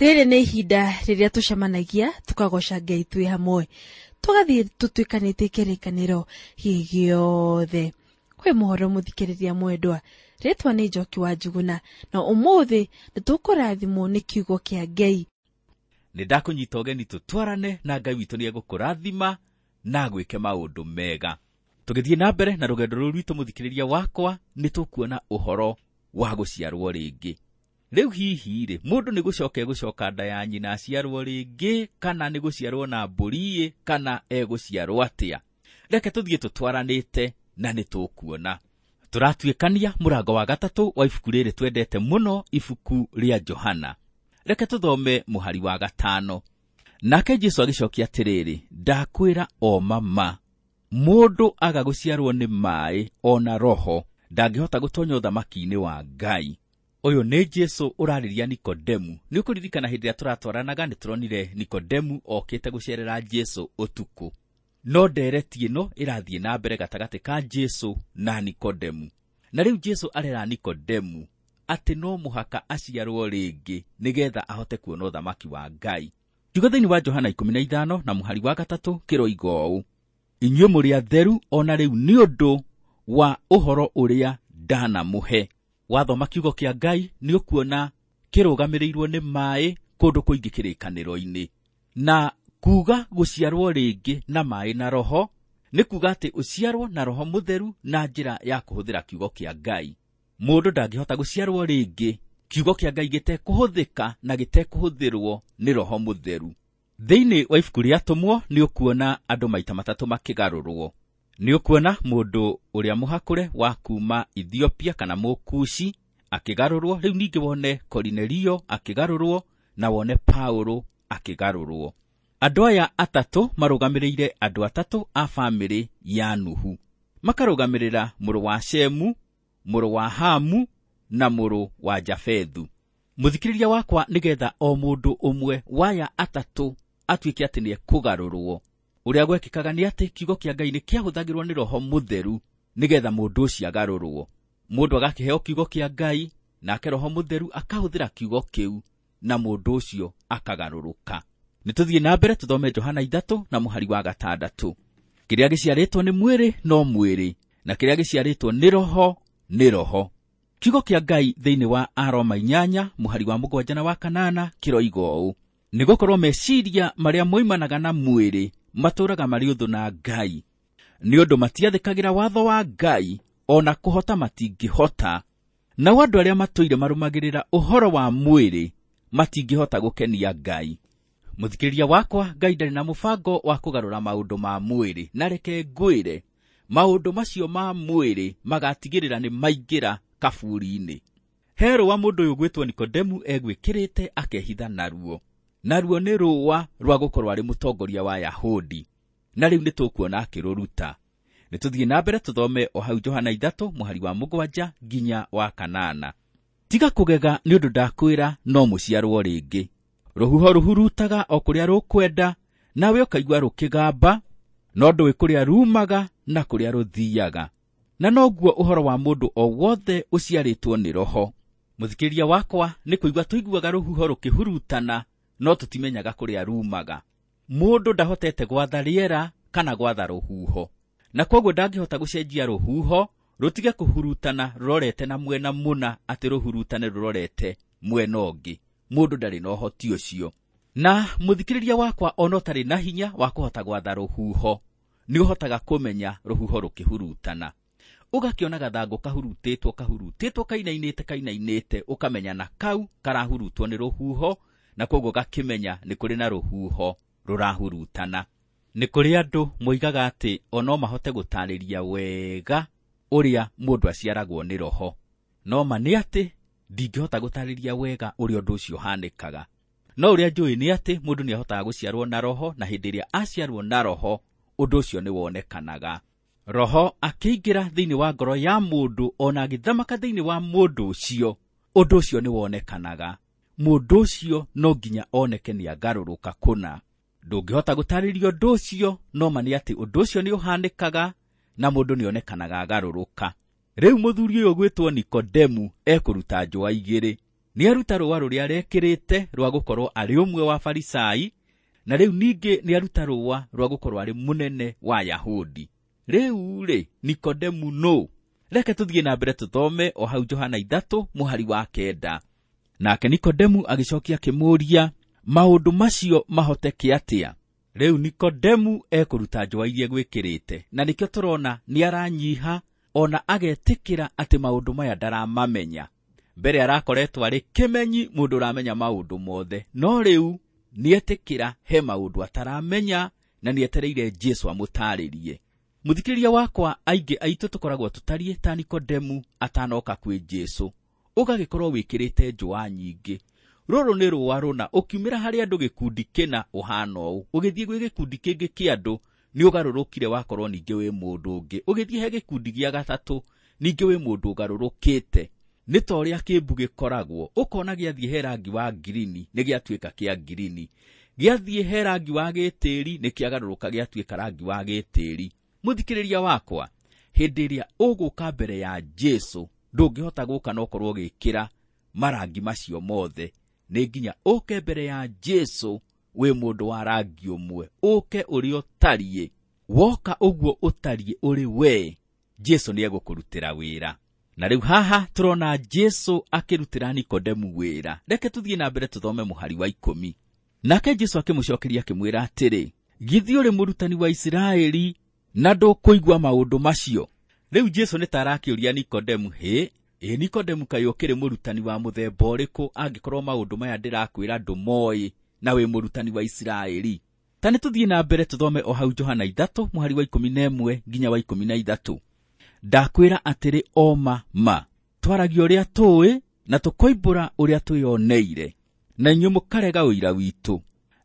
Rĩrĩ nĩ ihinda rĩrĩa tũcemanagia tũkagoca Ngai twĩ hamwe, tũgathiĩ tũtuĩkanĩtie kĩrĩkanĩro gĩothe. Kwĩ mũhoro mũthikĩrĩria mwendwa, rĩtwa nĩ Njoki wa Njuguna, na ũmũthĩ nĩ tũkũrathimwo nĩ kiugo kĩa Ngai. Nĩ ndakũnyita ũgeni tũtwarane na Ngai witũ nĩ egũkũrathima na agwĩke maũndũ mega. Tũgĩthiĩ na mbere na rũgendo rũrũ rwitũ mũthikĩrĩria wakwa, nĩ tũkuona ũhoro wa gũciarwo rĩngĩ. Rĩu hihi rĩ, mũndũ nĩ gũcoka egũcoka nda ya nyina aciarwo rĩngĩ, kana nĩ gũciarwo na mbũri, kana egũciarwo atĩa? Reke tũthiĩ tũtwaranĩte na nĩ tũkuona. Tũratuĩkania mũrango wa 3 wa ibuku rĩrĩ twendete mũno, ibuku rĩa Johana. Reke tũthome mũhari wa 5. Nake Jesũ agĩcokia atĩrĩrĩ, ndakwĩra o mama, mũndũ aga gũciarwo nĩ maĩ ona roho ndangĩhota gũtonya ũthamaki-inĩ wa Ngai. Ũyũ nĩ Jesũ ũrarĩria Nikodemu. Nĩ ũkũririkana hĩndĩ ĩrĩa tũratwaranaga nĩ tũronire Nikodemu okĩte gũcerera Jesũ ũtukũ. No ndereti ĩno ĩrathiĩ na mbere gatagatĩ ka Jesũ na Nikodemu. Na rĩu Jesũ arera Nikodemu atĩ no mũhaka aciarwo rĩngĩ nĩgetha ahote kuona ũthamaki wa Ngai. Kiugo thĩinĩ wa Johana 15 na mũhari wa 3 kĩroiga ũũ: inyuĩ mũrĩ atheru ona rĩu nĩ ũndũ wa ũhoro ũrĩa ndanamũhe. Wathoma kiugo kĩa Ngai nĩ ũkuona kĩrũgamĩrĩirwo nĩ maĩ kũndũ kũingĩ kĩrĩkanĩro-inĩ. Na kuga gũciarwo rĩngĩ na maĩ na roho nĩ kuga atĩ ũciarwo na roho mũtheru na njĩra ya kũhũthĩra kiugo kĩa Ngai. Mũndũ ndangĩhota gũciarwo rĩngĩ kiugo kĩa Ngai gĩtekũhũthĩka na gĩtekũhũthĩrwo nĩ roho mũtheru. Thĩinĩ wa ibuku rĩa Atũmwo nĩ ũkuona andũ maita matatũ makĩgarũrwo. Nĩ ũkuona mũndũ ũrĩa mũhakũre wa kuma Ethiopia kana Mũkushi akĩgarũrwo, rĩu ningĩ wone Korinelio akĩgarũrwo na wone Paulo akĩgarũrwo. Andũ aya atatũ marũgamĩrĩire andũ atatũ a bamĩrĩ ya Nuhu. Makarũgamĩrĩra mũrũ wa Shemu, mũrũ wa Hamu na mũrũ wa Jafethu. Mũthikĩrĩria wakwa, nĩgetha o mũndũ ũmwe waya atatũ atuĩke atĩ nĩ ekũgarũrwo. Ũrĩa gwekĩkaga nĩ atĩ kiugo kĩa Ngai nĩ kĩahũthagĩrwo nĩ roho mũtheru nĩgetha mũndũ ũcio agarũrwo. Mũndũ agakĩheo kiugo kĩa Ngai, nake roho mũtheru akahũthĩra kiugo kĩu na mũndũ ũcio akagarũrũka. Nĩ tũthiĩ na mbere tũthome Johana 3 na mũhari wa 6. Kĩrĩa gĩciarĩtwo nĩ mwĩrĩ no mwĩrĩ, na kĩrĩa gĩciarĩtwo nĩ roho nĩ roho. Kiugo kĩa Ngai thĩinĩ wa Aroma 8 mũhari wa 7 na wa 8 kĩroiga ũũ: nĩgũkorwo meciria marĩa moimanaga na mwĩrĩ matũũraga marĩ ũthũ na Ngai, nĩ ũndũ matiathĩkagĩra watho wa Ngai, ona kũhota matingĩhota. Nao andũ arĩa matũire marũmagĩrĩra ũhoro wa mwĩrĩ matingĩhota gũkenia Ngai. Mũthikĩrĩria wakwa, Ngai ndarĩ na mũbango wa kũgarũra maũndũ ma mwĩrĩ, na reke ngwĩre maũndũ macio ma mwĩrĩ magatigĩrĩra nĩ maingĩra kaburi-inĩ. He rũa mũndũ ũyũ gwĩtwo Nikodemu egwĩkĩrĩte akehitha naruo. Naruo nĩ rũa rwa gũkorwo arĩ mũtongoria wa Yahudi, na rĩu nĩ tũkuona akĩrũruta. Nĩ tũthiĩ na mbere tũthome o hau Johana 3 mũhari wa 7 nginya wa 8. Tiga kũgega nĩ ũndũ ndakwĩra no mũciarwo rĩngĩ. Rũhuho rũhurutaga o kũrĩa rũkwenda, nawe ũkaigua rũkĩgamba, no ndũĩ kũrĩa rumaga na kũrĩa rũthiaga. Na noguo ũhoro wa mũndũ o wothe ũciarĩtwo nĩ roho. Mũthikĩrĩria wakwa, nĩ kũigua tũiguaga rũhuho rũkĩhurutana, no tũtimenyaga kũrĩa rumaga. Mũndũ ndahotete gwatha rĩera kana gwatha rũhuho, na kwoguo ndangĩhota gũcenjia rũhuho rũtige kũhurutana rũrorete na mwena mũna, atĩ rũhurutane rũrorete mwena ũngĩ. Mũndũ ndarĩ na ũhoti ũcio. Na mũthikĩrĩria wakwa, ona ũtarĩ na hinya wa kũhota gwatha rũhuho, nĩ ũhotaga kũmenya rũhuho rũkĩhurutana. Ũgakĩona gathangũ kahurutĩtwo, kahurutĩtwo, kainainĩte, kainainĩte, ũkamenya na kau karahurutwo nĩ rũhuho, na kwoguo gakĩmenya nĩ kũrĩ na rũhuho rũrahurutana. Nĩ kũrĩ andũ moigaga atĩ o no mahote gũtarĩria wega ũrĩa mũndũ aciaragwo nĩ roho. No ma nĩ atĩ ndingĩhota gũtarĩria wega ũrĩa ũndũ ũcio ũhanĩkaga. No ũrĩa njũĩ nĩ atĩ mũndũ nĩ ahotaga gũciarwo na roho, na hĩndĩ ĩrĩa aciarwo na roho, ũndũ ũcio nĩ wonekanaga. Roho akĩingĩra thĩinĩ wa ngoro ya mũndũ, ona agĩthamaka thĩinĩ wa mũndũ ũcio, ũndũ ũcio nĩ wonekanaga. Mũndũ ũcio no nginya oneke nĩ agarũrũka kũna. Ndũngĩhota gũtarĩria ũndũ ũcio, no ma nĩ atĩ ũndũ ũcio nĩ ũhanĩkaga na mũndũ nĩ onekanaga agarũrũka. Rĩu mũthuri ũyũ gwĩtwo Nikodemu ekũruta njũa igĩrĩ. Nĩaruta rũa rũrĩa arekĩrĩte rwa gũkorwo arĩ ũmwe wa Farisai, na rĩu ningĩ nĩaruta rũa rwa gũkorwo arĩ mũnene wa Yahudi. Rĩu rĩ, Nikodemu nũ? Reke tũthiĩ na mbere tũthome o hau Johana 3 mũhari wa 9. Nake Nikodemu agĩcokia akĩmũũria, maũndũ macio mahoteke atĩa? Rĩu Nikodemu ekũruta njũa iria egwĩkĩrĩte, na nĩkĩo tũrona nĩaranyiha ona agetĩkĩra atĩ maũndũ maya ndaramamenya. Mbere arakoretwo arĩ kĩmenyi, mũndũ ũramenya maũndũ mothe, no rĩu nĩetĩkĩra he maũndũ ataramenya na nĩetereire Jesũ amũtaarĩrie. Mũthikĩrĩria wakwa, aingĩ aitũ tũkoragwo tũtariĩ ta Nikodemu atanoka kwĩ Jesũ, ũgagĩkorwo wĩkĩrĩte njũa nyingĩ. Rũrũ nĩ rũa rũna, ũkiumĩra harĩ andũ gĩkundi kĩna ũhana ũũ, ũgĩthiĩ gwĩ gĩkundi kĩngĩ kĩa andũ nĩ ũgarũrũkire wakorwo ningĩ wĩ mũndũ ũngĩ, ũgĩthiĩ he gĩkundi gĩa gatatũ ningĩ wĩ mũndũ ũgarũrũkĩte. Nĩ ta ũrĩa kĩmbu gĩkoragwo, ũkona gĩathiĩ he rangi wa ngirini nĩ gĩatuĩka kĩa ngirini, gĩathiĩ he rangi wa gĩtĩri nĩ kĩagarũrũka gĩatuĩka rangi wa gĩtĩri. Mũthikĩrĩria wakwa, hĩndĩ ĩrĩa ũgũka mbere ya Jesũ ndũngĩhota gũka na ũkorwo ũgĩkĩra marangi macio mothe. Nĩ nginya ũke mbere ya Jesũ wĩ mũndũ wa rangi ũmwe, ũke ũrĩa ũtariĩ. Woka ũguo ũtariĩ ũrĩ we, Jesũ nĩegũkũrutĩra wĩra. Na rĩu haha tũrona Jesũ akĩrutĩra Nikodemu wĩra. Reke tũthiĩ na mbere tũthome mũhari wa 10. Nake Jesũ akĩmũcokeria akĩmwĩra atĩrĩ, githĩ ũrĩ mũrutani wa Isiraeli na ndũkũigua maũndũ macio? Rĩu Jesũ nĩ ta arakĩũria Nikodemu, hĩ, ĩ Nikodemu kaĩ ũkĩrĩ mũrutani wa mũthemba ũrĩkũ angĩkorwo maũndũ maya ndĩrakwĩra ndũmoĩ na wĩ mũrutani wa Isiraeli? Ta nĩ tũthiĩ na mbere tũthome o hau Johana 3 mũhari wa 11 nginya wa 13. Ndakwĩra atĩrĩ o ma ma, twaragia ũrĩa tũĩ na tũkoimbũra ũrĩa twĩoneire, na inyuĩ mũkarega ũira witũ.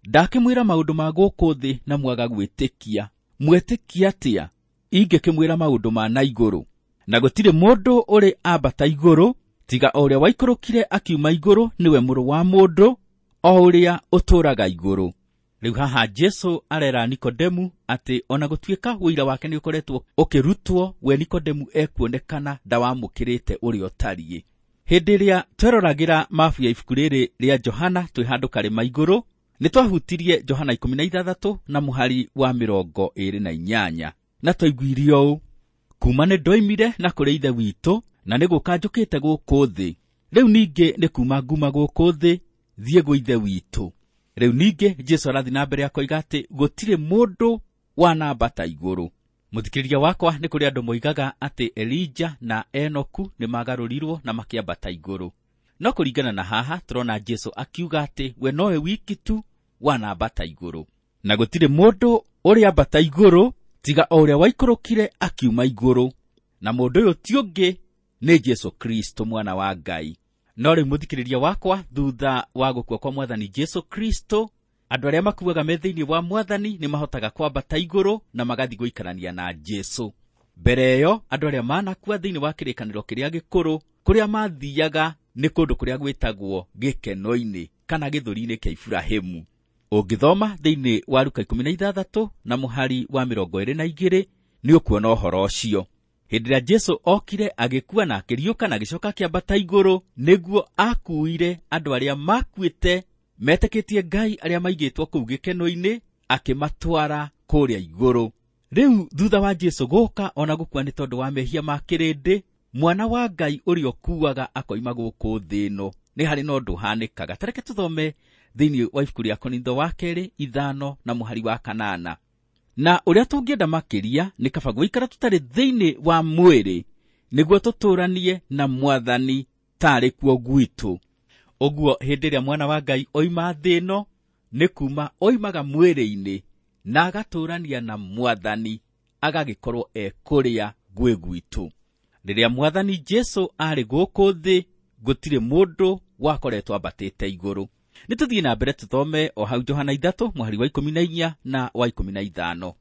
Ndakĩmwĩra maũndũ ma gũkũ thĩ na mwaga gwĩtĩkia, mwetĩkia atĩa ingĩkĩmwĩra maũndũ ma na igũrũ? Na gũtirĩ mũndũ ũrĩ ambata igũrũ tiga o ũrĩa waikũrũkire akiuma igũrũ, nĩwe Mũrũ wa Mũndũ, o ũrĩa ũtũũraga igũrũ. Rĩu haha Jesũ arera Nikodemu atĩ ona gũtuĩka ũira wake nĩ ũkoretwo ũkĩrutwo, we Nikodemu ekuonekana ndawamũkĩrĩte ũrĩa ũtariĩ. Hĩndĩ ĩrĩa tweroragĩra mabu ya ibuku rĩrĩ rĩa Johana twĩ handũ karĩma igũrũ, nĩ twahutirie Johana 16 na mũhari wa 28, na twaiguire ũũ: kuma nĩ ndoimire na kũrĩ Ithe witũ, na nĩ gũka njũkĩte gũkũ thĩ. Rĩu ningĩ nĩ kuma nguma gũkũ thĩ thiĩ gwĩ Ithe witũ. Rĩu ningĩ Jesũ arathiĩ na mbere akoiga atĩ gũtirĩ mũndũ wanambata igũrũ. Mũthikĩrĩria wakwa, nĩ kũrĩ andũ moigaga atĩ Elija na Enoku nĩ magarũrirwo na makĩambata igũrũ. No kũringana na haha tũrona Jesũ akiuga atĩ we nowe wiki tu wanambata igũrũ, na gũtirĩ mũndũ ũrĩ ambata igũrũ tiga o ũrĩa waikũrũkire akiuma igũrũ, na mũndũ ũyũ ti ũngĩ nĩ Jesũ Kristo mwana wa Ngai. No rĩu mũthikĩrĩria wakwa, thutha wa gũkua kwa Mwathani Jesũ Kristo, andũ arĩa makuaga me thĩinĩ wa Mwathani nĩ mahotaga kwambata igũrũ na magathiĩ gũikarania na Jesũ. Mbere ĩyo andũ arĩa manakua thĩinĩ wa kĩrĩkanĩro kĩrĩa gĩkũrũ, kũrĩa mathiaga nĩ kũndũ kũrĩa gwĩtagwo gĩkeno-inĩ kana gĩthũri-inĩ kĩa Iburahĩmu. Ũngĩthoma thĩinĩ wa Luka 16 na mũhari wa 22 nĩ ũkuona ũhoro ũcio. Hĩndĩ ĩrĩa Jesũ okire agĩkua na akĩriũka na agĩcoka akĩambata igũrũ, nĩguo akuire andũ arĩa makuĩte metĩkĩtie Ngai arĩa maigĩtwo kũu gĩkeno-inĩ, akĩmatwara kũrĩa igũrũ. Rĩu thutha wa Jesũ gũka ona gũkua nĩ tondũ wa mehia ma kĩrĩndĩ, mwana wa Ngai ũrĩa ũkuaga akoima gũkũ thĩ ĩno, nĩ harĩ na ũndũ ũhanĩkaga. Ta reke tũthome thĩinĩ wa ibuku rĩa Korintho wa kerĩ 5 na mũhari wa 8. Na ũrĩa tũngĩenda makĩria nĩ kaba gũikara tũtarĩ thĩinĩ wa mwĩrĩ, nĩguo tũtũũranie na Mwathani tarĩ kuo gwitũ. Ũguo hĩndĩ ĩrĩa mwana wa Ngai oima thĩ ĩno, nĩ kuma oimaga mwĩrĩ-inĩ na agatũũrania na Mwathani, agagĩkorwo e kũrĩa gwĩ gwitũ. Rĩrĩa Mwathani Jesũ arĩ gũkũ thĩ, gũtirĩ mũndũ wakoretwo ambatĩte igũrũ. Nĩ tũthiĩ na mbere tũthome o hau Johana 3 mũhari wa 14 na wa 15.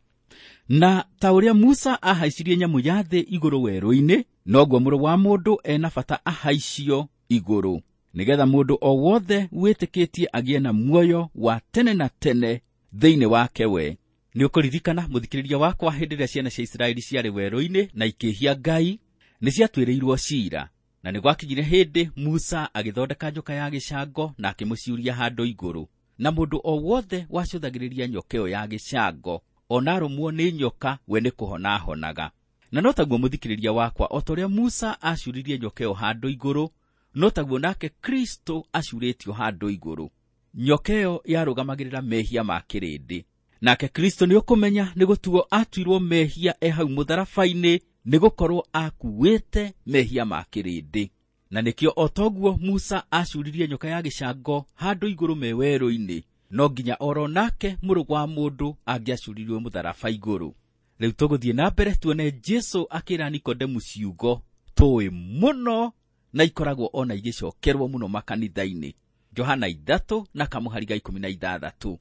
Na ta ũrĩa Musa ahaicirie nyamũ ya thĩ igũrũ werũ-inĩ, noguo Mũrũ wa Mũndũ ena bata ahaicio igũrũ, nĩgetha mũndũ o wothe wĩtĩkĩtie agĩe na muoyo wa tene na tene thĩinĩ wake we. Nĩ ũkũririkana mũthikĩrĩria wakwa, hĩndĩ ĩrĩa ciana cia Isiraeli ciarĩ werũ-inĩ na ikĩhia Ngai, nĩ ciatuĩrĩirwo ciira. Na nĩ gwakinyire hĩndĩ Musa agĩthondeka nyoka ya gĩcango na akĩmũciũria handũ igũrũ, na mũndũ o wothe wacũthagĩrĩria nyoka ĩyo ya gĩcango ona arũmwo nĩ nyoka we nĩ kũhona ahonaga. Na no taguo mũthikĩrĩria wakwa, o ta ũrĩa Musa aciũririe nyoka ĩyo handũ igũrũ, no taguo nake Kristo aciũrĩtio handũ igũrũ. Nyoka ĩyo yarũgamagĩrĩra mehia ma kĩrĩndĩ, nake Kristo nĩ ũkũmenya nĩ gũtuo atuirwo mehia e hau mũtharaba-inĩ, nĩ gũkorwo akuĩte mehia ma kĩrĩndĩ. Na nĩkĩo o toguo Musa aciũririe nyoka ya gĩcango handũ igũrũ me werũ-inĩ, no nginya oro nake mũrũ wa mũndũ angĩaciũririo mũtharaba igũrũ. Rĩu tũgũthiĩ na mbere tuone Jesu akĩra Nikodemu ciugo tũĩ mũno na ikoragwo ona igĩcokerwo mũno makanitha-inĩ. Johana 3 na kamũhari ga 16.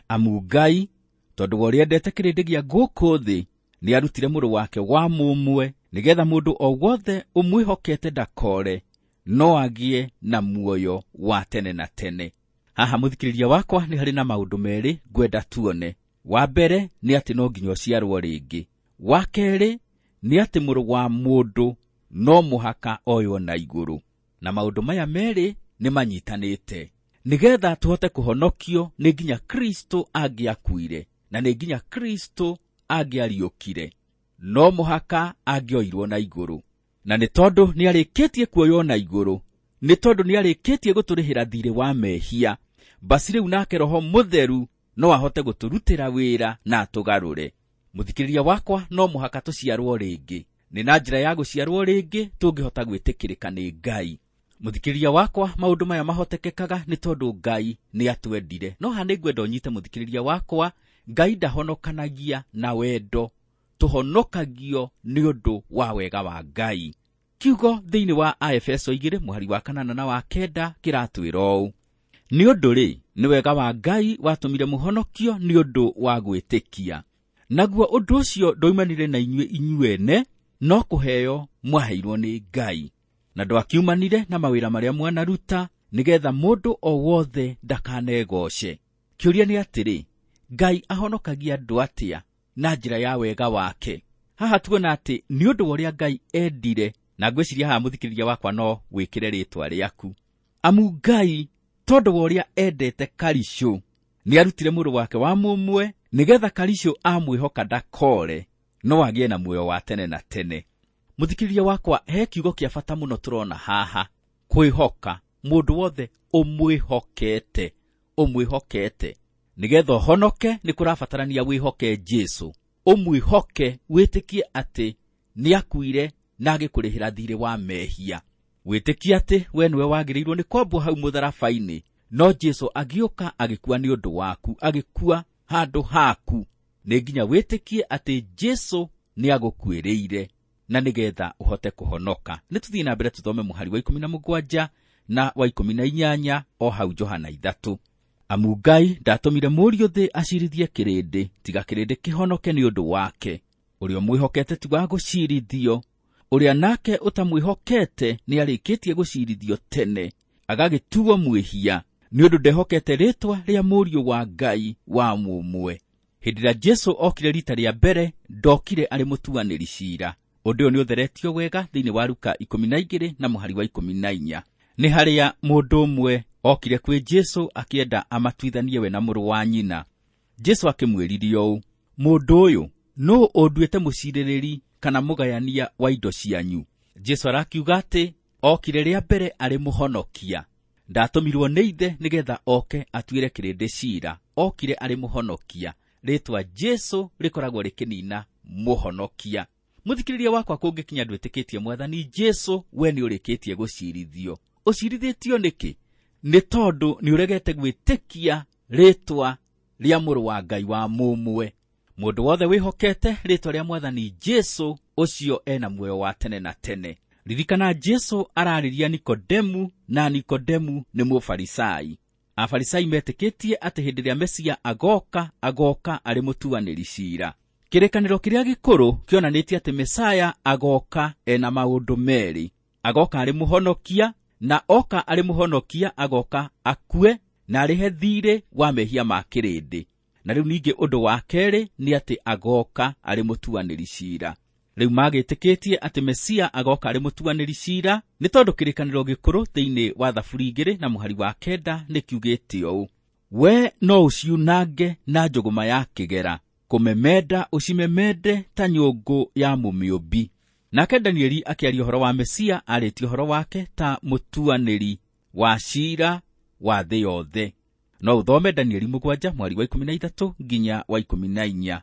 Amu Ngai tondũ wa ũrĩa endete kĩrĩndĩ gĩa gũkũ thĩ nĩarutire mũrũ wake wa mũmwe, nĩgetha mũndũ o wothe ũmwĩhokete ndakore, no agĩe na muoyo wa tene na tene. Haha mũthikĩrĩria wakwa nĩ harĩ na maũndũ merĩ ngwenda tuone. Wa mbere nĩ atĩ no nginya ũciarwo rĩngĩ. Wa kerĩ nĩ atĩ mũrũ wa mũndũ no mũhaka oywo na igũrũ. Na maũndũ maya merĩ nĩ manyitanĩte. Nĩgetha tũhote kũhonokio nĩ nginya Kristo angĩakuire, na nĩ nginya Kristo angĩariũkire. No mũhaka angĩoirwo na igũrũ. Na nĩ tondũ nĩarĩkĩtie kuoywo na igũrũ, nĩ tondũ nĩarĩkĩtie gũtũrĩhĩra thiirĩ wa mehia, basi rĩu nake Roho Mũtheru no ahote gũtũrutĩra wĩra na atũgarũre. Mũthikĩrĩria wakwa, no mũhaka tũciarwo rĩngĩ. Nĩ na njĩra ya gũciarwo rĩngĩ tũngĩhota gwĩtĩkĩrĩka nĩ Ngai. Mũthikĩrĩria wakwa, maũndũ maya mahotekekaga nĩ tondũ Ngai nĩ atwendire. No haha nĩ ngwenda ũnyite mũthikĩrĩria wakwa, Ngai ndahonokanagia na wendo, tũhonokagio nĩ ũndũ wa wega wa Ngai. Kiugo thĩinĩ wa Aefeso 2 mũhari wa 8 na wa 9 kĩratwĩra ũũ: nĩ ũndũ rĩ, nĩ wega wa Ngai watũmire mũhonokio nĩ ũndũ wa gwĩtĩkia. Naguo ũndũ ũcio ndwoimanire na inyuĩ inyuene, no kũheo mwaheirwo nĩ Ngai. Na ndwakiumanire na mawĩra marĩa mwanaruta, nĩgetha mũndũ o wothe ndakanegoce. Kĩũria nĩ atĩrĩ, Ngai ahonokagia andũ atĩa na njĩra ya wega wake? Haha tuona atĩ nĩ ũndũ wa ũrĩa Ngai endire, na ngwĩciria haha mũthikĩrĩria wakwa no wĩkĩre rĩtwa rĩaku. Amu Ngai tondũ wa ũrĩa endete Karicũ, nĩarutire mũrũ wake wa mũmwe, nĩgetha Karicũ amwĩhoka ndakore, no agĩe na muoyo wa tene na tene. Mũthikĩrĩria wakwa, he kiugo kĩa bata mũno tũrona haha, kwĩhoka. Mũndũ wothe ũmwĩhokete, ũmwĩhokete. Nĩgetha ũhonoke nĩ kũrabatarania wĩhoke Jesu. Ũmwĩhoke, wĩtĩkie atĩ nĩakuire na agĩkũrĩhĩra thiirĩ wa mehia. Wĩtĩkie atĩ we nĩwe wagĩrĩirwo nĩ kwambwo hau mũtharaba-inĩ, no Jesu agĩũka agĩkua nĩ ũndũ waku, agĩkua handũ haku. Nĩ nginya wĩtĩkie atĩ Jesu nĩagũkuĩrĩire na nĩgetha ũhote kũhonoka. Nĩ tũthiĩ na mbere tũthome mũhari wa 17 na wa 18 o hau Johana 3. Amu Ngai ndatũmire mũriũ thĩ acirithie kĩrĩndĩ, tiga kĩrĩndĩ kĩhonoke nĩ ũndũ wake. Ũrĩa ũmwĩhokete ti wa gũcirithio, ũrĩa nake ũtamwĩhokete nĩarĩkĩtie gũcirithio tene, agagĩtuo mwĩhia, nĩ ũndũ ndehokete rĩtwa rĩa mũriũ wa Ngai wa mũmwe. Hĩndĩ ĩrĩa Jesu okire rita rĩa mbere, ndokire arĩ mũtuanĩri ciira. Ũndũ ũyũ nĩũtheretio wega thĩinĩ wa Luka 12 na mũhari wa 14. Nĩ harĩa mũndũ ũmwe okire kwĩ Jesu akĩenda amatuithanie we na mũrũ wa nyina. Jesu akĩmwĩririe ũũ: mũndũ ũyũ, nũũ ũnduĩte mũcirĩrĩri kana mũgayania wa indo cianyu? Jesu arakiuga atĩ okire rĩa mbere arĩ mũhonokia. Ndatũmirwo nĩ ithe nĩgetha oke atuĩre kĩrĩndĩ ciira. Okire arĩ mũhonokia. Rĩtwa Jesu rĩkoragwo rĩkĩnina mũhonokia. Mũthikĩrĩria wakwa, kũngĩkinya ndwĩtĩkĩtie Mwathani Jesu, we nĩ ũrĩkĩtie gũcirithio. Ũcirithĩtio nĩkĩ? Nĩ tondũ nĩ ũregete gwĩtĩkia rĩtwa rĩa mũrũ wa Ngai wa mũmwe. Mũndũ wothe wĩhokete rĩtwa rĩa Mwathani Jesu, ũcio ena muoyo wa tene na tene. Ririkana Jesu ararĩria Nikodemu, na Nikodemu nĩ Mũfarisai. Afarisai metĩkĩtie atĩ hĩndĩ ĩrĩa Mesia agoka, agoka arĩ mũtuanĩri ciira. Kĩrĩkanĩro kĩrĩa gĩkũrũ kĩonanĩtie atĩ Mesaya agoka ena maũndũ merĩ. Agoka arĩ mũhonokia, na oka arĩ mũhonokia agoka akue na arĩhe thiirĩ wa mehia ma kĩrĩndĩ. Na rĩu ningĩ ũndũ wa kerĩ nĩ atĩ agoka arĩ mũtuanĩri ciira. Rĩu magĩtĩkĩtie atĩ Mesia agoka arĩ mũtuanĩri ciira, nĩ tondũ kĩrĩkanĩro gĩkũrũ thĩinĩ wa Thaburi 2 na mũhari wa 9 nĩ kiugĩte ũũ: we no ũciunange na njũgũma ya kĩgera, kũmemenda ũcimemende ta nyũngũ ya mũmĩũmbi. Nake Danieli akĩaria ũhoro wa Mesia arĩtie ũhoro wake ta mũtuanĩri wa ciira wa thĩ yothe. No ũthome Danieli 7 mweri wa 13 nginya wa 14.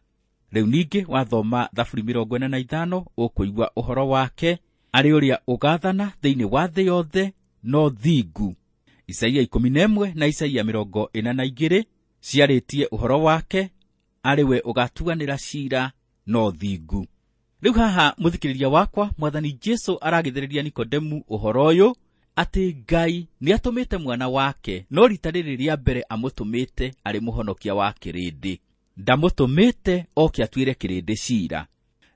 Rĩu ningĩ wathoma Thaburi 45 ũkũigua ũhoro wake arĩ ũrĩa ũgathana thĩinĩ wa thĩ yothe no thingu. Isaia 11 na Isaia 42 ciarĩtie ũhoro wake arĩ we ũgatuanĩra ciira no thingu. Rĩu haha mũthikĩrĩria wakwa, Mwathani Jesu aragĩthĩrĩria Nikodemu ũhoro ũyũ atĩ Ngai nĩatũmĩte mwana wake, no rita rĩrĩ rĩa mbere amũtũmĩte arĩ mũhonokia wa kĩrĩndĩ. Ndamũtũmĩte oke atuĩre kĩrĩndĩ ciira.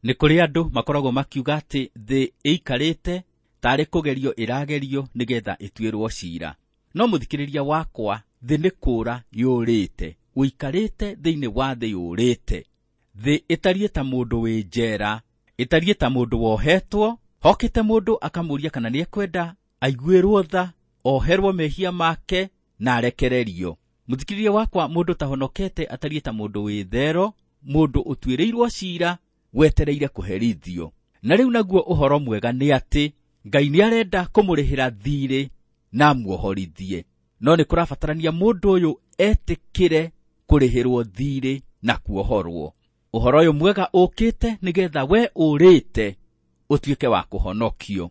Nĩ kũrĩ andũ makoragwo makiuga atĩ thĩ ĩikarĩte tarĩ kũgerio ĩragerio nĩgetha ĩtuĩrwo ciira. No mũthikĩrĩria wakwa, thĩ nĩ kũũra yũrĩte, ũikarĩte thĩinĩ wa thĩ yũrĩte. Thĩ ĩtariĩ ta mũndũ wĩ njera, ĩtariĩ ta mũndũ wohetwo, hokĩte mũndũ akamũũria kana nĩekwenda aiguĩrwo tha, oherwo mehia make na arekererio. Mũthikĩrĩria wakwa, mũndũ tahonokete atariĩ ta mũndũ wĩ thero, mũndũ ũtuĩrĩirwo ciira wetereire kũherithio. Na rĩu naguo ũhoro mwega nĩ atĩ Ngai nĩarenda kũmũrĩhĩra thiirĩ na amuohorithie. No nĩ kũrabatarania mũndũ ũyũ etĩkĩre kũrĩhĩrwo thiirĩ na kuohorwo. Ũhoro ũyũ mwega ũkĩte nĩgetha we ũrĩte ũtuĩke wa kũhonokio.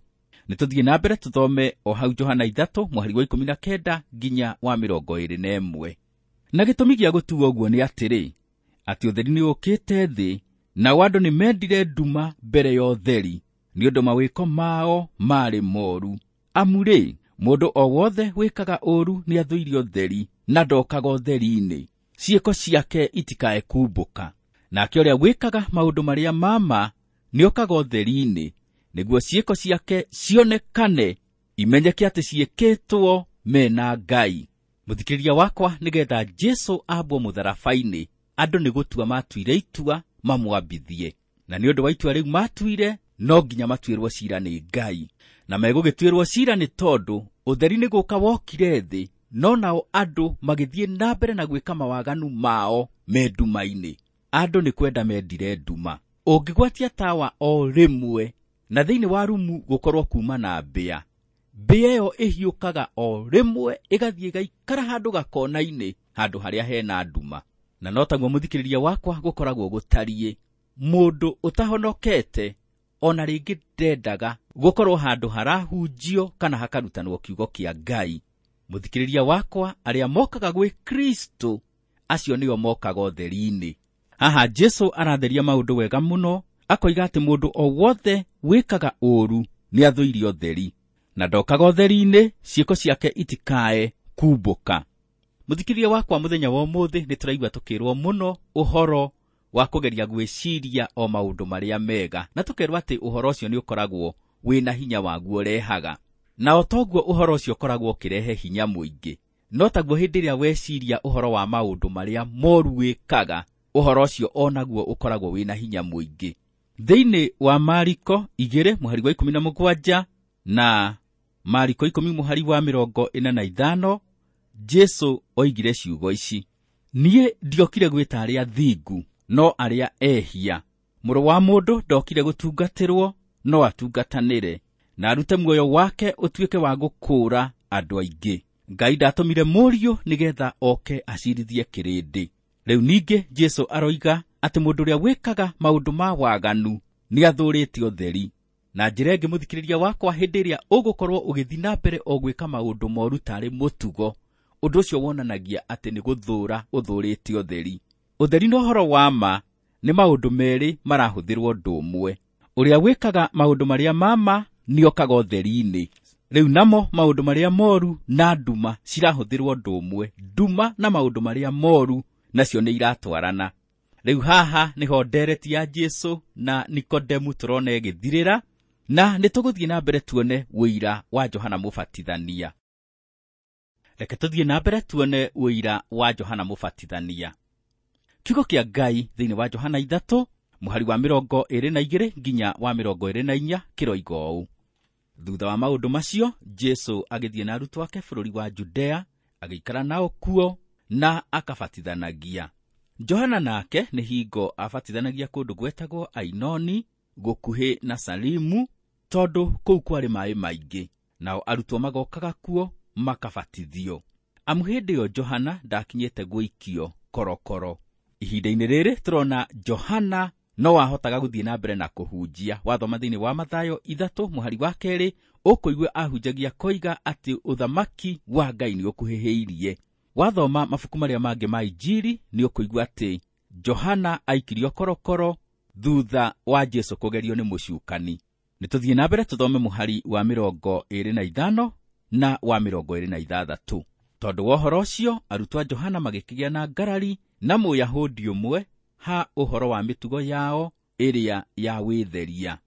Nĩ tũthiĩ na mbere tũthome o hau Johana 3 mũhari wa 19 nginya wa 21. Na gĩtũmi gĩa gũtua ũguo nĩ atĩrĩ, atĩ ũtheri nĩ ũkĩte thĩ, nao andũ nĩ mendire nduma mbere ya ũtheri, nĩ ũndũ mawĩko mao maarĩ moru. Amu rĩ, mũndũ o wothe wĩkaga ũũru nĩ athũire ũtheri na ndokaga ũtheri-inĩ, ciĩko ciake itikae kumbũka. Nake ũrĩa wĩkaga maũndũ marĩa ma ma nĩokaga ũtheri-inĩ, nĩguo ciĩko ciake cionekane imenyeke atĩ ciĩkĩtwo mena Ngai. Mũthikĩrĩria wakwa, nĩgetha Jesu ambwo mũtharaba-inĩ, andũ nĩ gũtua matuire itua mamwambithie. Na nĩ ũndũ wa itua rĩu matuire, no nginya matuĩrwo ciira nĩ Ngai. Na megũgĩtuĩrwo ciira nĩ tondũ ũtheri nĩ gũka wokire thĩ, no nao andũ magĩthiĩ na mbere na gwĩka mawaganu mao me nduma-inĩ. Andũ nĩ kwenda mendire nduma. Ũngĩgwatia tawa o rĩmwe na thĩinĩ wa rumu gũkorwo kuma na mbĩa, mbĩa ĩyo ĩhiũkaga o rĩmwe ĩgathiĩ ĩgaikara handũ gakona-inĩ, handũ harĩa hena nduma. Na no taguo mũthikĩrĩria wakwa gũkoragwo gũtariĩ. Mũndũ ũtahonokete ona rĩngĩ ndendaga gũkorwo handũ harahunjio kana hakarutanwo kiugo kĩa Ngai. Mũthikĩrĩria wakwa, arĩa mokaga gwĩ Kristo acio nĩo mokaga ũtheri-inĩ. Haha Jesu aratheria maũndũ wega mũno, akoiga atĩ mũndũ o wothe wĩkaga ũũru nĩ athũire ũtheri, na ndokaga ũtheri-inĩ, ciĩko ciake itikae kumbũka. Mũthikĩrĩria wakwa, mũthenya wa ũmũthĩ nĩ tũraigua tũkĩrwo mũno ũhoro wa kũgeria gwĩciria o maũndũ marĩa mega, na tũkerwo atĩ ũhoro ũcio nĩ ũkoragwo wĩna hinya waguo ũrehaga. Na o toguo ũhoro ũcio ũkoragwo ũkĩrehe hinya mũingĩ, no taguo hĩndĩ ĩrĩa weciria ũhoro wa maũndũ marĩa moru wĩkaga, ũhoro ũcio onaguo ũkoragwo wĩna hinya mũingĩ. Thĩinĩ wa Mariko 2 mũhari wa 17 na Mariko 10 mũhari wa 45, Jesu oigire ciugo ici: niĩ ndiokire gwĩta arĩa thingu, no arĩa ehia. Mũrũ wa mũndũ ndokire gũtungatĩrwo, no atungatanĩre, na arute muoyo wake ũtuĩke wa gũkũũra andũ aingĩ. Ngai ndatũmire mũriũ nĩgetha oke acirithie kĩrĩndĩ. Rĩu ningĩ Jesu aroiga atĩ mũndũ ũrĩa wĩkaga maũndũ ma waganu nĩ athũrĩte ũtheri. Na njĩra ĩngĩ, mũthikĩrĩria wakwa, hĩndĩ ĩrĩa ũgũkorwo ũgĩthiĩ na mbere o gwĩka maũndũ moru tarĩ mũtugo, ũndũ ũcio wonanagia atĩ nĩ gũthũra ũthũrĩte ũtheri. Ũtheri na ũhoro wa ma nĩ maũndũ merĩ marahũthĩrwo ũndũ ũmwe. Ũrĩa wĩkaga maũndũ marĩa ma ma nĩokaga ũtheri-inĩ. Rĩu namo maũndũ marĩa moru na nduma cirahũthĩrwo ũndũ ũmwe. Nduma na maũndũ marĩa moru nacio nĩ iratwarana. Rĩu haha nĩho ndereti ya Jesu na Nikodemu tũrona ĩgĩthirĩra, na nĩ tũgũthiĩ na mbere tuone ũira wa Johana Mũbatithania. Reke tũthiĩ na mbere tuone ũira wa Johana Mũbatithania. Kiugo kĩa Ngai thĩinĩ wa Johana 3 Mũhari wa 22 nginya wa 24 kĩroiga ũũ: Thutha wa maũndũ macio, Jesũ agĩthiĩ na arutwo ake bũrũri wa Judea, agĩikara nao kuo na akabatithanagia. Johana nake nĩ hingo abatithanagia kũndũ gwetagwo Ainoni, gũkuhĩ na Salimu, tondũ kũu kwarĩ maĩ maingĩ, nao arutwo magokaga kuo makabatithio. Amu hĩndĩ ĩyo Johana ndakinyĩte gũikio korokoro. Ihinda-inĩ rĩrĩ tũrona Johana no ahotaga gũthiĩ na mbere na kũhunjia. Wathoma thĩinĩ wa Mathayo 3 mũhari wa 2 ũkũigua ahunjagia koiga atĩ ũthamaki wa Ngai nĩ ũkuhĩhĩirie. Wathoma mabuku marĩa mangĩ ma Injiri nĩ ũkũigua atĩ Johana aikirio korokoro thutha wa Jesũ kũgerio nĩ mũcukani. Nĩ tũthiĩ na mbere tũthome mũhari wa 25 na wa 26. Tondũ wa ũhoro ũcio, arutwo a Johana magĩkĩgĩa na ngarari na Mũyahudi ũmwe ha ũhoro wa mĩtugo yao ĩrĩa ya wĩtheria.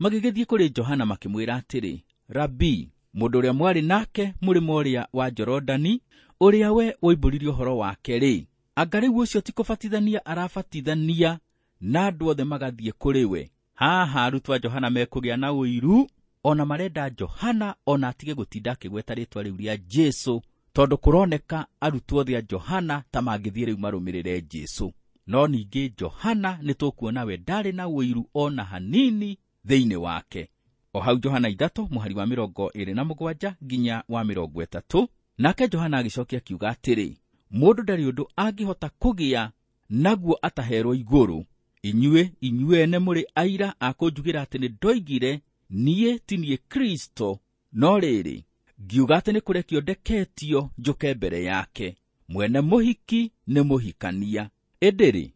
Magĩgĩthiĩ kũrĩ Johana makĩmwĩra atĩrĩ, Rabii, mũndũ ũrĩa mwarĩ nake mũrĩmo ũrĩa wa Jorodani, ũrĩa we woimbũrire ũhoro wake-rĩ, anga rĩu ũcio ti kũbatithania arabatithania na andũ othe magathiĩ kũrĩ we? Haha arutwo a Johana mekũgĩa na ũiru, ona marenda Johana ona atige gũtinda akĩgweta rĩtwa rĩu rĩa Jesũ, tondũ kũroneka arutwo othe a Johana ta mangĩthiĩ rĩu marũmĩrĩre Jesũ. No ningĩ Johana nĩ tũkuona we ndarĩ na ũiru ona hanini thĩinĩ wake. O hau Johana 3 mũhari wa 27 nginya wa 30, nake Johana agĩcokia akiuga atĩrĩ, mũndũ ndarĩ ũndũ angĩhota kũgĩa naguo ataherwo igũrũ. Inyuĩ inyuene mũrĩ aira a kũnjugĩra atĩ nĩ ndoigire niĩ ti niĩ Kristo, no rĩrĩ ngiuga atĩ nĩ kũrekio ndeketio njũke mbere yake. Mwene mũhiki nĩ mũhikania. Ĩndĩ-rĩ,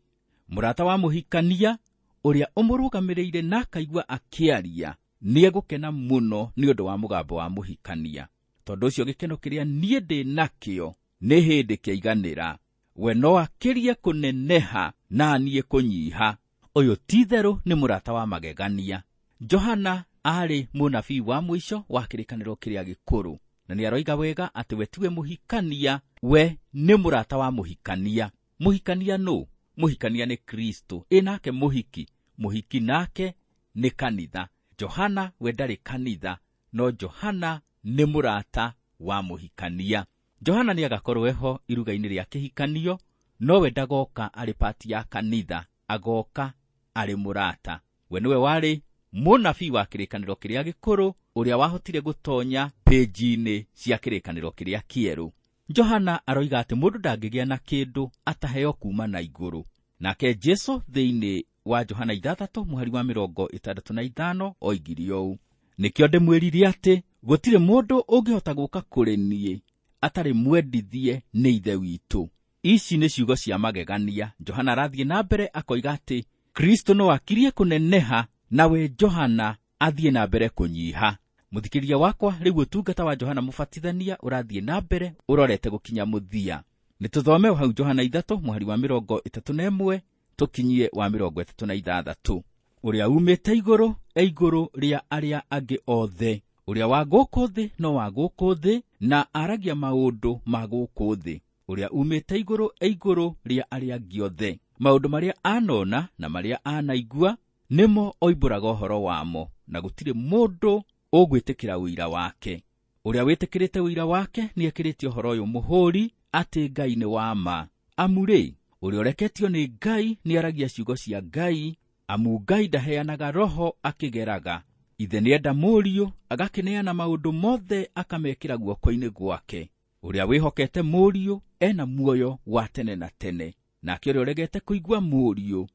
mũrata wa mũhikania ũrĩa ũmũrũgamĩrĩire na akaigua akĩaria nĩegũkena mũno nĩ ũndũ wa mũgambo wa mũhikania. Tondũ ũcio gĩkeno kĩrĩa niĩ ndĩ nakĩo nĩ hĩndĩ kĩaiganĩra. We no akĩrie kũneneha na niĩ kũnyiha. Ũyũ ti-itherũ nĩ mũrata wa magegania. Johana aarĩ mũnabii wa mũico wa kĩrĩkanĩro kĩrĩa gĩkũrũ, na nĩaroiga wega atĩ we tiwe mũhikania, we nĩ mũrata wa mũhikania. Mũhikania nũ? Mũhikania nĩ Kristo. Ĩ nake mũhiki? Mũhiki nake nĩ kanitha. Johana we ndarĩ kanitha, no Johana nĩ mũrata wa mũhikania. Johana nĩagakorwo eho iruga-inĩ rĩa kĩhikanio, no we ndagoka arĩ pati ya kanitha, agoka arĩ mũrata. We nĩwe warĩ mũnabii wa kĩrĩkanĩro kĩrĩa gĩkũrũ, ũrĩa wahotire gũtonya pĩnji-inĩ cia kĩrĩkanĩro kĩrĩa kĩerũ. Johana aroiga atĩ mũndũ ndangĩgĩa na kĩndũ ataheo kuma na igũrũ. Nake Jesũ thĩinĩ wa Johana 6 mũhari wa 65 oigire ũũ, nĩkĩo ndĩmwĩrire atĩ gũtirĩ mũndũ ũngĩhota gũka kũrĩ niĩ atarĩ mwendithie nĩ Ithe witũ. Ici nĩ ciugo cia magegania. Johana arathiĩ na mbere akoiga atĩ Kristo no akirie kũneneha nawe Johana athiĩ na mbere kũnyiha. Mũthikĩrĩria wakwa, rĩu ũtungata wa Johana Mũbatithania ũrathiĩ na mbere ũrorete gũkinya mũthia. Nĩ tũthome hau Johana 3 mũhari wa 31 tũkinyie wa 36. Ũrĩa umĩte igũrũ e igũrũ rĩa arĩa angĩ othe, ũrĩa wa gũkũ thĩ no wa gũkũ thĩ, na aragia maũndũ ma gũkũ thĩ. Ũrĩa umĩte igũrũ e igũrũ rĩa arĩa angĩ othe. Maũndũ marĩa anona na marĩa anaigua nĩmo oimbũraga ũhoro wamo, na gũtirĩ mũndũ ũgwĩtĩkĩra ũira wake. Ũrĩa wĩtĩkĩrĩte ũira wake nĩekĩrĩte ũhoro ũyũ mũhũri atĩ Ngai nĩ wa ma. Amu rĩ, ũrĩa ũreketio nĩ Ngai nĩaragia ciugo cia Ngai, amu Ngai ndaheanaga roho akĩgeraga. Ithe nĩenda Mũriũ, agakĩneana maũndũ mothe akamekĩra guoko-inĩ gwake. Ũrĩa wĩhokete Mũriũ ena muoyo wa tene na tene, nake ũrĩa ũregete kũigua Mũriũ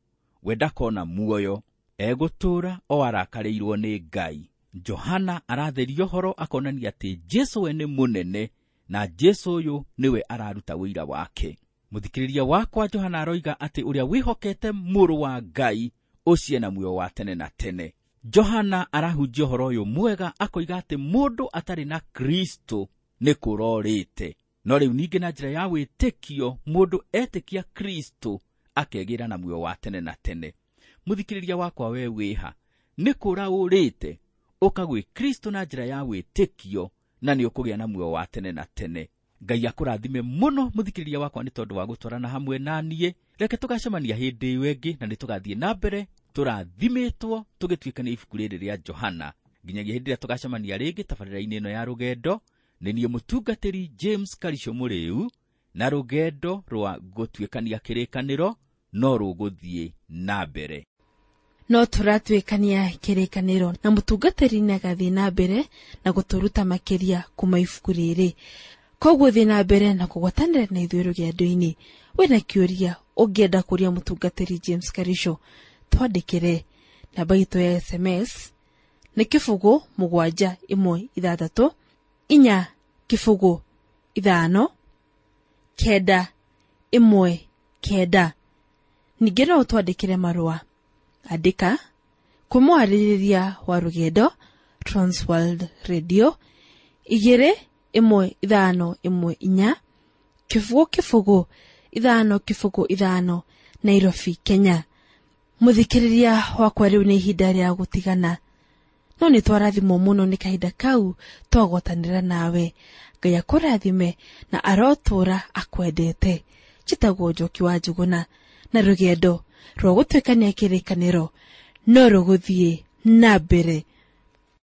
we ndakona muoyo, egũtũũra o arakarĩirwo nĩ Ngai. Johana aratheria ũhoro akonania atĩ Jesũ we nĩ mũnene, na Jesũ ũyũ nĩwe araruta ũira wake. Mũthikĩrĩria wakwa, Johana aroiga atĩ ũrĩa wĩhokete Mũrũ wa Ngai ũcio ena muoyo wa tene na tene. Johana arahunjia ũhoro ũyũ mwega akoiga atĩ mũndũ atarĩ na Kristo nĩ kũrorĩte. No rĩu ningĩ na njĩra ya wĩtĩkio mũndũ etĩkia Kristo akegĩra na muoyo wa tene na tene. Mũthikĩrĩria wakwa, we wĩha nĩ kũra ũrĩte ũka gwĩ Kristo na njĩra ya wĩtĩkio, na nĩ ũkũgĩa na muoyo wa tene na tene. Ngai akũrathime mũno mũthikĩrĩria wakwa nĩ tondũ wa gũtwarana hamwe na niĩ. Reke tũgacemania hĩndĩ ĩyo ĩngĩ na nĩ tũgathiĩ na mbere tũrathimĩtwo tũgĩtuĩkania ibuku rĩrĩ rĩa Johana. Nginyagia hĩndĩ ĩrĩa tũgacemania rĩngĩ tabarĩra-inĩ ĩno ya rũgendo, nĩ niĩ mũtungatĩri James Karisho Mũrĩu, na rũgendo rwa gũtuĩkania kĩrĩkanĩro no rũgũthiĩ na mbere. No tũratuĩkania kĩrĩkanĩro na mũtungatĩri nĩagathiĩ na mbere na gũtũruta makĩria kuma ibuku rĩrĩ. Koguo thiĩ na mbere na kũgwatanĩra na ithuĩ rũgendo-inĩ. Wĩna kĩũria ũngĩenda kũria mũtungatĩri James Karisho, twandĩkĩre. Namba itũ ya SMS nĩ 0 7 1 6 4 0 5 9 1 9. Ningĩ no ũtwandĩkĩre marũa. Andĩka kwĩ mwarĩrĩria wa rũgendo Transworld Radio 2 1 5 1 4 0 0 5 0 5 Nairobi, Kenya. Mũthikĩrĩria wakwa, rĩu nĩ ihinda rĩa gũtigana, no nĩ twarathimwo mũno nĩ kahinda kau twagwatanĩra nawe. Ngai akũrathime na arotũra akwendete. Njĩtagwo Njoki wa Njũgũna, na rũgendo rwa gũtuĩkania kĩrĩkanĩro no rũgũthiĩ na mbere.